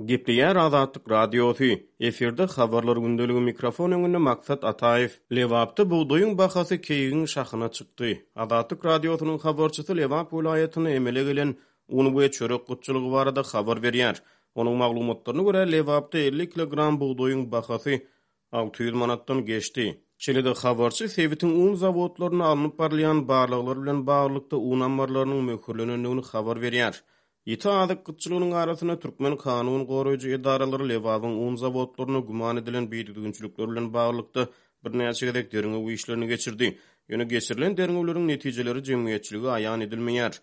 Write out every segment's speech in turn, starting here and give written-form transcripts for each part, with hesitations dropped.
Gepleýär Azatlyk Radiosy, efirde Habarlar gündeligi mikrofon öňünde Maksat Ataýew. Lebapda bugdaýyň bahasy keýigiň şahyna çykdy. Azatlyk Radiosynyň habarçysy Lebap welaýatynda emele gelen un we çörek gytçylygy barada habar berýär. Onuň maglumatlaryna görä, Lebapda 50 kilogram bugdaýyň bahasy 600 manatdan geçdi. Şeýle-de habarçy sebitiň un zawodlarynda alnyp barylýan barlaglar bilen baglylykda un ammarlarynyň möhürlenendigini habar berýär. Ýiti azyk gytçylygynyň arasynda türkmen kanun goraýjy edaralary Lebabyň un zawodlarynda güman edilen bidüzgünçilikler bilen baglylykda birnäçe gezek derňew işlerini geçirdi. Ýöne geçirilen derňewleriň netijeleri jemgyýetçilige aýan edilmeýär.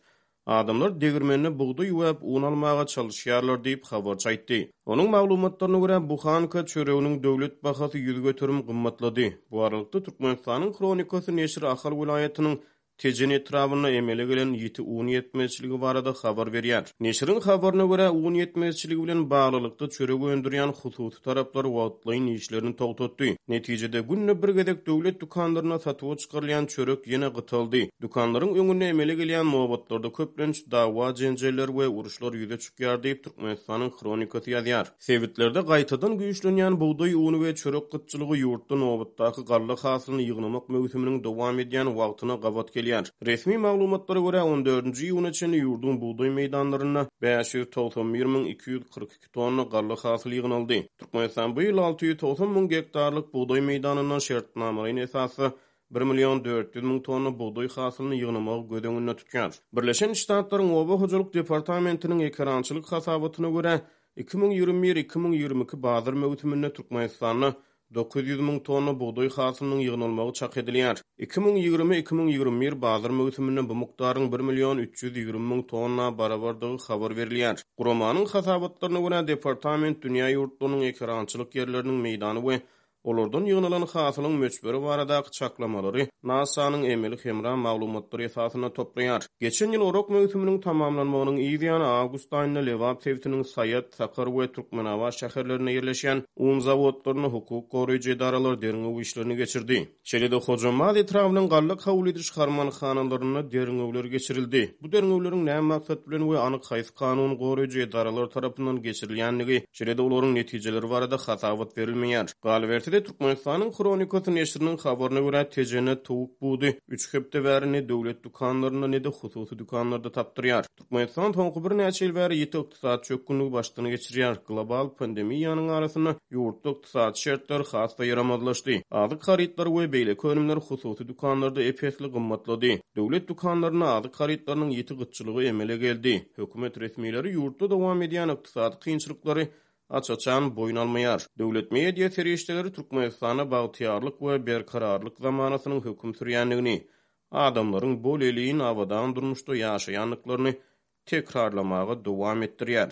Adamlar degirmende bugdaý üwäp un almaga çalyşýarlar diýip, habarçy aýtdy. Onuň maglumatlaryna görä, buhanka çöreginiň döwlet bahasy 100% gymmatlady. Bu aralykda, Türkmenistanyň Hronikasy neşiri Ahal welaýatynyň Tejen etrabynda emele gelen ýiti un ýetmezçiligi barada habar berýär. Neşiriň habaryna görä, un ýetmezçiligi bilen baglylykda çörek öndürýän hususy taraplar wagtlaýyn işlerini togtatdy. Netijede, günde bir gezek döwlet dükanlarynda satuwa çykarylýan çörek ýene gytaldy. Dükanlaryň öňünde emele gelýän nobatlarda köplenç dawa-jenjeller we uruşlar ýüze çykýar diýip, Türkmenistanyň Hronikasy ýazýar. Sebitlerde gaýtadan güýçlenýän bugdaý uny we çörek gytçylygy ýurtda nobatdaky galla hasylyny ýygnamak möwsüminiň dowam edýän wagtyna gabat gelýär. Resmi maglumatlara görä, on dördünji iýuna çenli ýurduň bugdaý meýdanlarynda 591 242 tonna galla hasyly ýygnaldy. Türkmenistan bu ýyl 690 müň gektarlyk bugdaý meýdanyndan şertnamalaýyn esasda bir million 400 müň tonna bugdaý hasylyny ýygnamagy göz öňünde tutýar. Birleşen Ştatlaryň Oba hojalyk departamentiniň ekerançylyk hasabatyna görä, 2021, 2022 bazar möwsüminde Türkmenistanda 900 müň tonna bugdaý hasylynyň ýygnalmagy çak edilýär. 2020, 2021 bazar möwsüminde bu mukdaryň bir million 320 müň tonna barabardygy habar berilýär. Guramanyň hasabatlaryna görä, departament dünýä ýurtlarynyň ekerançylyk ýerleriniň meýdany we Olardan ýygnalan hasylyň möçberi baradaky çaklamalary NASA-nyň emeli hemra maglumatlary esasynda toplaýar. Geçen ýyl orak möwsüminiň tamamlanmagynyň yz ýany awgust aýynda Lebap sebitiniň Saýat, Sakar we Türkmenabat şäherlerinde ýerleşýän un zawodlarynda hukuk goraýjy edaralar derňew işlerini geçirdi. Şeýle-de Hojambaz etrabynyň galla kabul ediş harmanhanalarynda derňewler geçirildi. Bu derňewleriň näme maksat bilen we anyk haýsy kanun goraýjy edaralar tarapyndan geçirilýändigi, şeýle-de olaryň netijeleri barada hasabat berilmeýär. Galyberse-de, Türkmenistanyň Hronikasy neşiriniň habaryna görä, Tejende towuk budy üç hepde bäri ne döwlet dükanlarynda, ne-de hususy dükanlarda tapdyrýar. Türkmenistan soňky birnäçe ýyl bäri ýiti ykdysady çökgünligi başdan geçirýär. Global pandemiýanyň arasynda ýurtda ykdysady şertler has-da ýaramazlaşdy. Azyk harytlary we beýleki önümler hususy dükanlarda ep-esli gymmatlady. Döwlet dükanlarynda azyk harytlarynyň ýiti gytçylygy emele geldi. Hökümet resmileri ýurtda dowam edýän ykdysady kynçylyklary aç-açan boýun almaýar. Döwlet media serişdeleri Türkmenistanda bagtyýarlyk we berkararlyk zamanasynyň höküm sürýändigini, adamlaryň bolelin abadan durmuşda ýaşaýandyklaryny tekrarlamaga dowam etdirýär.